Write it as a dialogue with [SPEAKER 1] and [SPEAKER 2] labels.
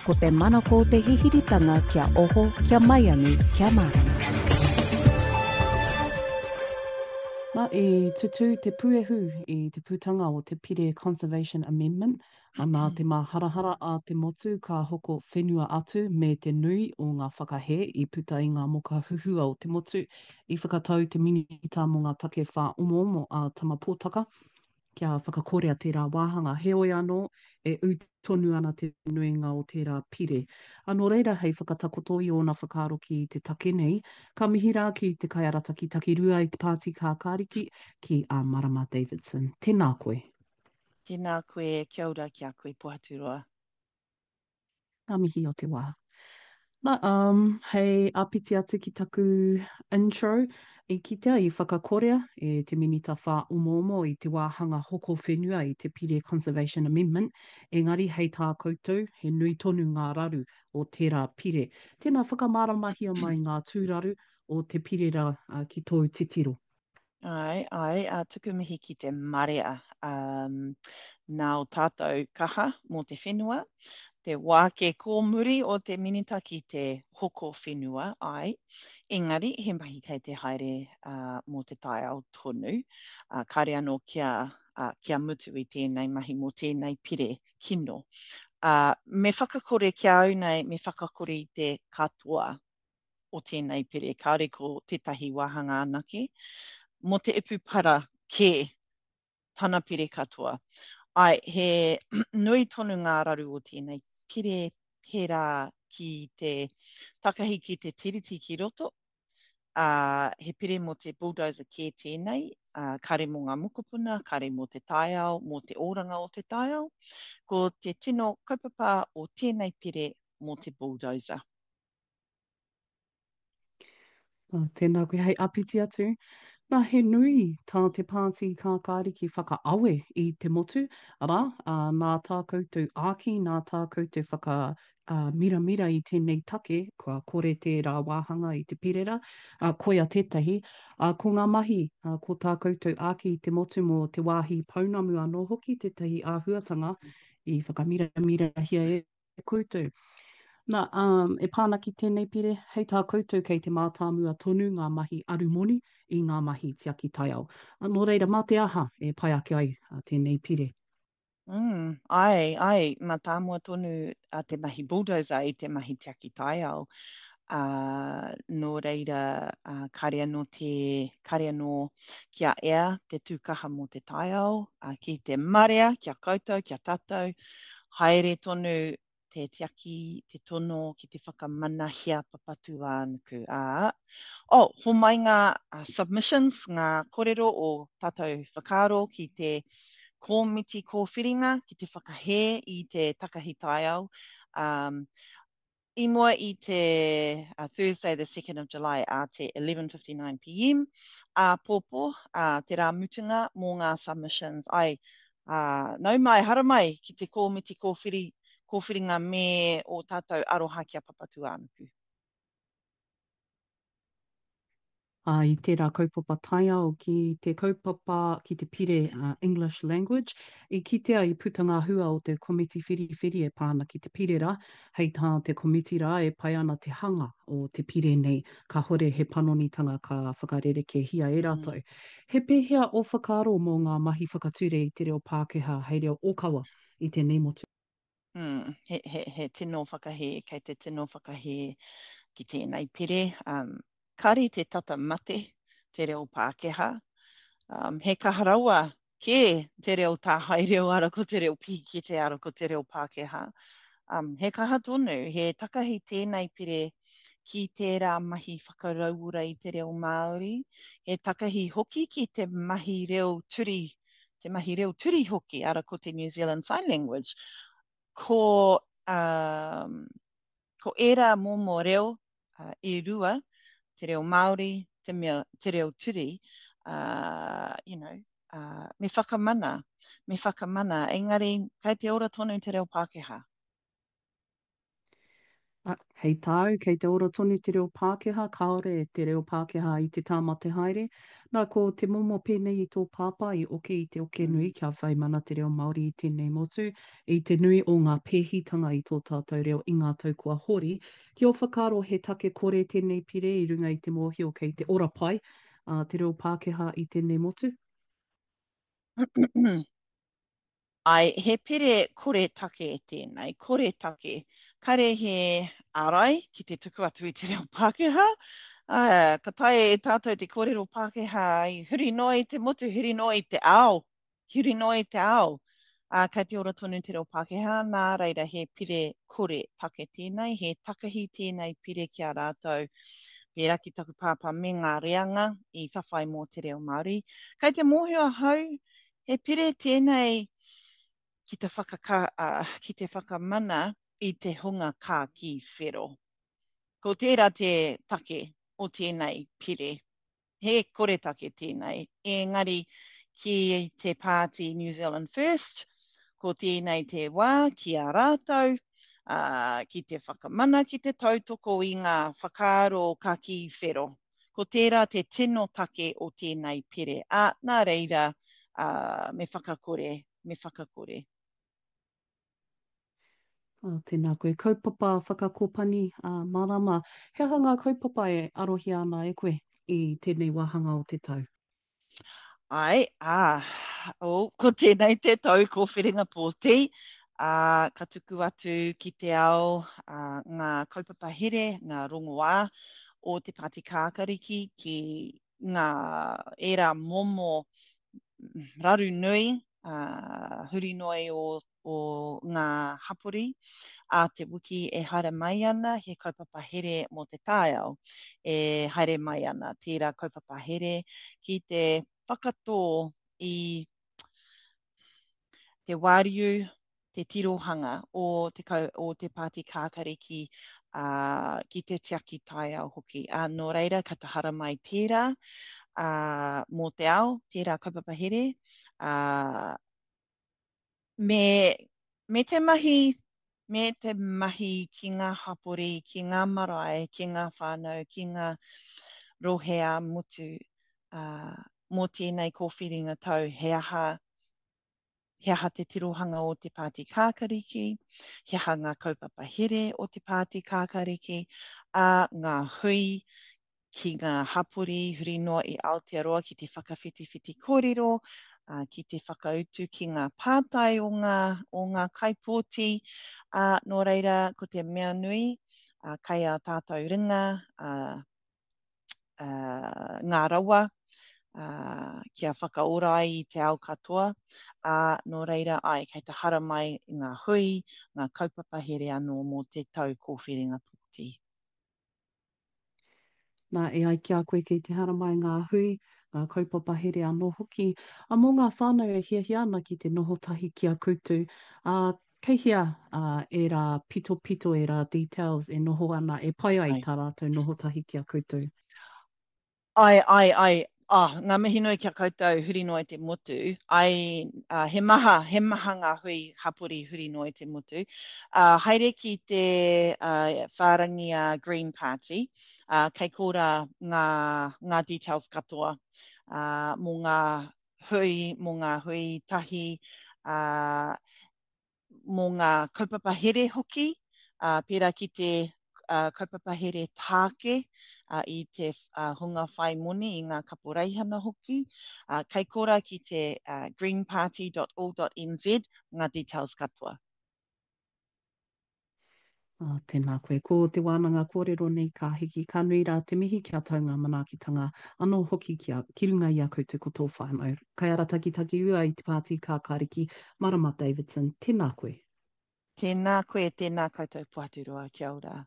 [SPEAKER 1] Ko te manako o te hihiritanga kia oho, kia maiangi, kia mārama.
[SPEAKER 2] Na, i tutū te puehu i te putanga o te Pire Conservation Amendment, nā te māharahara a te motu ka hoko whenua atu me te nui o ngā whakahē i puta i ngā moka huhua o te motu, i whakatau te Minita mō ngā Take Whāomoomo a Tama Potaka kia whakakorea tērā wāhanga. Heoi anō, e ū tonu ana te nuinga o tērā pire. Ā, nō reira, hei whakatakoto i ōna whakaaro ki te take nei, ka mihi rā ki te kaiarataki takirua i te Pāti Kākāriki, ki a Marama Davidson. Tēnā koe.
[SPEAKER 3] Tēnā koe, kia ora ki a koe Pohaturoa.
[SPEAKER 2] Ngā mihi o te wā. Na, um, hei āpiti atu ki taku intro, i kitea i whakakorea e te Minita Whāomoomo i te wāhanga hoko whenua i te Pire Conservation Amendment, engari hei tā koutou, he nui tonu ngā raru o tērā pire. Tēnā whakamāramahia mai ngā tūraru o te pire rā ki tōu titiro.
[SPEAKER 3] Āe, āe, ā, tuku mihi ki te marea, um, nā o tātou kaha mō te whenua, te wāke kōmuri o te minita ki te hoko whenua, āe, engari he mahi kei te haere uh, mō te taiao tonu, uh, kāre anō kia, uh, kia mutu i tēnei mahi mō tēnei pire kino. Uh, me whakakore ki a au nei, me whakakore i te katoa o tēnei pire, kāore ko tētahi wāhanga anake, mō te ipu para kē tana pire katoa. Āe, he nui tonu ngā raru o tēnei pire pērā ki te takahi ki te tiriti ki roto, ā, he pire mō te bulldozer kē tēnei, ā, kāre mō ngā mokopuna, kāre mō te taiao, mō te oranga o te taiao. Ko te tino kaupapa o tēnei pire mō te bulldozer.
[SPEAKER 2] Oh, tēnā koe hei apiti atu. Nā, he nui tā te pāti kākāriki whakaawe i te motu, arā, ā, nā tā koutou āki, nā tā koutou whaka ā, miramira i tēnei take, kua kore tērā wāhanga i te pirera, ā, koia tētahi, ā, ko ngā mahi, ā, ko tā koutou āki i te motu mō te wāhi pounamu anō hoki tētahi āhuatanga i whakamiramirahia e koutou. Nā, ā, e pā ana ki tēnei pire, hei tā koutou kei te mātāmua tonu ngā mahi arumoni i ngā mahi tiaki taiao. Nō reira, mā te aha e pai ake ai tēnei pire?
[SPEAKER 3] Mm, āe, āe, mātāmua tonu a te mahi bulldozer i te mahi tiaki taiao. Ā, nō reira, ā, kāre anō te, kāre anō kia ea te tūkaha mō te taiao, ā, ki te marea, ki a koutou, ki a tātou, Haere tonu te tiaki, te tono ki te whakamanahia Papatūānuku, ā, oh, homai ngā submissions, ngā korero o tātou whakaaro ki te kōmiti kōwhiringa ki te whakahē i te takahi taiao, um, I mua i te Thursday the 2nd of July ā te 11.59 pm āpōpō, ā, te rā mutunga mō ngā submissions. Ai, ā, nau mai, haramai ki te kōmiti kōwhiri, kōwhiringa me ō tātou aroha ki a Papatūānuku.
[SPEAKER 2] Ā, i tērā kaupapa taiao ki te kaupapa, ki te pire English Language, i kitea i puta ngā hua o te komiti whiriwhiri e pā ana ki te pire rā. Hei tā te komiti rā e pai ana te hanga o te pire nei, kāhore he panonitanga ka whakarerekēhia e rātou. He pēhea ō whakaaro mō ngā mahi whakature i te reo Pākehā hei reo ōkawa i tēnei motu?
[SPEAKER 3] Mm, he, he, he tino whakahē, kei te tino whakahē ki tēnei pire. Um, kāre te tata mate te reo Pākehā. Um, he kaha rawa kē te reo tāhae reo ara ko te reo pīkete ara ko te reo Pākehā. Um, he kaha tonu, he takahi tēnei pire ki tērā mahi whakarauora i te reo Māori, he takahi hoki ki te mahi reo turi te mahi reo turi hoki, ara ko te New Zealand Sign Language, ko, um, ko ērā momo reo uh, e rua, te reo Māori, te, mea, te reo turi, uh, you know, uh, me whakamana, me whakamana, engari kei te ora tonu te reo Pākehā.
[SPEAKER 2] Ā, hei tāu, kei te ora tonu te reo Pākehā, kāore te reo Pākehā i te tāmate haere. Nā, ko te momo pēnei i tō pāpā i oke i te oke nui kia whai mana te reo Māori i tēnei motu, i te nui o ngā pēhitanga i tō tātou reo i ngā tau kua hori. Ki ō whakaaro he take kore tēnei pire i runga i te mōhio kei te ora pai te reo Pākehā i tēnei motu?
[SPEAKER 3] Āe, he pire kore take tēnei, kore take. Kare he ārai ki te tuku atu i te reo Pākehā. Ā, ka taea e tātou te kōrero Pākehā i huri noa i te motu, huri noa i te ao, huri noa i te ao. Ā, kei te ora tonu te reo Pākehā, nā reira he pire kore take tēnei, he takahi tēnei pire ki a rātou, pērā ki taku pāpā me ngā reanga i whawhai mō te reo Māori. Kei te mōhio ahau, He pire tēnei ki te whakaka, ki te whakamana i te hunga kākī whero. Ko tērā te take o tēnei pire. He koretake tēnei, engari ki te pāti New Zealand First, ko tēnei te wā ki a rātou, ā, ki te whakamana, ki te tautoko i ngā whakaaro kakī whero. Ko tērā te tino take o tēnei pire, ā, nā reira, ā, me whakakore, me whakakore.
[SPEAKER 2] Ā, tēnā koe. Kaupapa whakakopani, ā, marama. He aha ngā kaupapa e arohia ana e koe i tēnei wāhanga o te tau?
[SPEAKER 3] Āe, ā, oh, ko tēnei te tau kōwhiringa pōti, ā, ka tuku atu ki te ao ā, ngā kaupapa here, ngā rongoā o te Pāti Kākariki ki ngā ērā momo raru nui, ā, huri noa i o o ngā hapori a te wiki e haere mai ana, he kaupapa here mō te taiao e haere mai ana, tērā kaupapa here ki te whakatō i te wāriu, te tirohanga o te, o te Pāti Kākariki ā, ki te tiaki taiao hoki. Ā, nō reira, ka tahara mai tērā ā, mō te ao, tērā kaupapa here, ā, Me, me te mahi, me te mahi ki ngā hapori, ki ngā marae, ki ngā whānau, ki ngā rohe ā-motu, ā, mō tēnei kōwhiringa tau, he aha, he aha te tirohanga o te Pāti Kākariki, he aha ngā kaupapa here o te Pāti Kākariki, ā, ngā hui ki ngā hapori huri noa i Aotearoa ki te whakawhitiwhiti kōrero, ā, ki te whakautu ki ngā pātai o ngā, o ngā kaipōti, ā, nō reira, ko te mea nui, ā, kai ā tātou ringa, ā, ā, ngā rawa, ā, kia whakaora ai i te ao katoa, ā, nō reira, āe, kei te haramai ngā hui, ngā kaupapa here anō mō te tau kōwhiringa pōti.
[SPEAKER 2] Nā, e ai ki a koe kei te haramai ngā hui, ngā kaupapa here anō hoki, ā, mō ngā whānau e hiahia ana ki te noho tahi ki a koutou, ā, kei hea, ā, ērā pitopito, ērā details e noho ana, e pai ai tā rātou noho tahi ki a koutou?
[SPEAKER 3] Ae, ae, ae, ah, ngā mihi nui ki a koutou huri noa i te motu. Ae, ah, he maha, he maha ngā hui hapori huri noa i te motu. Ah, haere ki te ah, whārangi a Green Party, ah, kei korā ngā, ngā details katoa ah, mō ngā hui, mō ngā hui tahi, ah, mō ngā kaupapa here hoki, ā, pērā ki te kaupapa here tāke i te hunga whai moni, i ngā kaporeihana hoki. Kei korā ki te greenparty.org.nz ngā details katoa.
[SPEAKER 2] Oh, tēnā koe. Ko te wānanga kōrero nei ka hiki, ka nui rā te mihi kia tau ngā manaakitanga anō hoki ki, a, ki runga i a koutou ko tō whānau. Kaiaratakitaki ua i te Pāti Kākāriki, Marama Davidson, tēnā koe.
[SPEAKER 3] Tēnā koe, tēnā koutou Pohaturoa, kia ora.